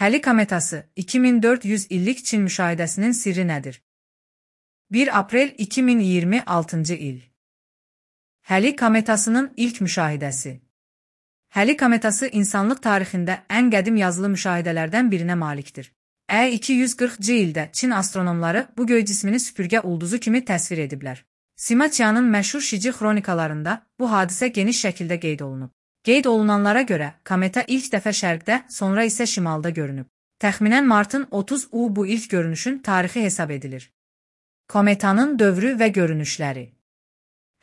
Həli kometası 2400 illik Çin müşahidəsinin sirri nədir? 1 aprel 2026 il. Həli kometasının ilk müşahidəsi. Həli kometası insanlıq tarixində ən qədim yazılı müşahidələrdən birinə malikdir. 240-cı ildə Çin astronomları bu göy cismini süpürgə ulduzu kimi təsvir ediblər. Sima Qianın məşhur Şici xronikalarında bu hadisə geniş şəkildə qeyd olunub. Qeyd olunanlara görə kometa ilk dəfə şərqdə, sonra isə şimalda görünüb. Təxminən martın 30-u bu ilk görünüşün tarixi hesab edilir. Kometanın dövrü və görünüşləri.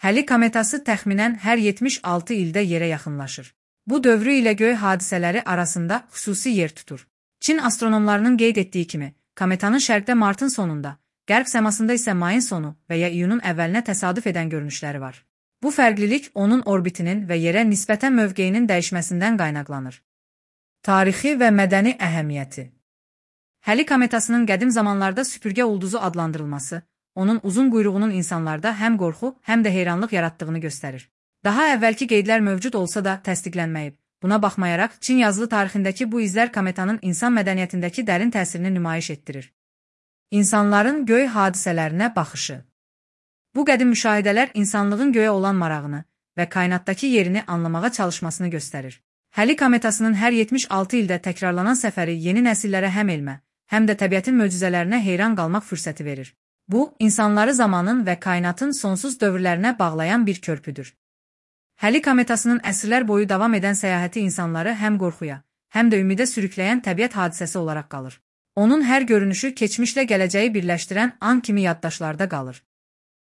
Həli kometası təxminən hər 76 ildə yerə yaxınlaşır. Bu dövrü ilə göy hadisələri arasında xüsusi yer tutur. Çin astronomlarının qeyd etdiyi kimi, kometanın şərqdə martın sonunda, qərb səmasında isə mayın sonu və ya iyunun əvvəlinə təsadüf edən görünüşləri var. Bu fərqlilik onun orbitinin və yerə nisbətən mövqeyinin dəyişməsindən qaynaqlanır. Tarixi və mədəni əhəmiyyəti. Həli kometasının qədim zamanlarda süpürgə ulduzu adlandırılması, onun uzun quyruğunun insanlarda həm qorxu, həm də heyranlıq yaratdığını göstərir. Daha əvvəlki qeydlər mövcud olsa da təsdiqlənməyib. Buna baxmayaraq, Çin yazılı tarixindəki bu izlər kometanın insan mədəniyyətindəki dərin təsirini nümayiş etdirir. İnsanların göy hadisələrinə baxışı. Bu qədim müşahidələr insanlığın göyə olan marağını və kainatdakı yerini anlamağa çalışmasını göstərir. Həli kometasının hər 76 ildə təkrarlanan səfəri yeni nəsillərə həm elmə, həm də təbiətin möcüzələrinə heyran qalmaq fürsəti verir. Bu, insanları zamanın və kainatın sonsuz dövrlərinə bağlayan bir körpüdür. Həli kometasının əsrlər boyu davam edən səyahəti insanları həm qorxuya, həm də ümidə sürükləyən təbiət hadisəsi olaraq qalır. Onun hər görünüşü keçmişlə gələcəyi birləşdirən an kimi yaddaşlarda qalır.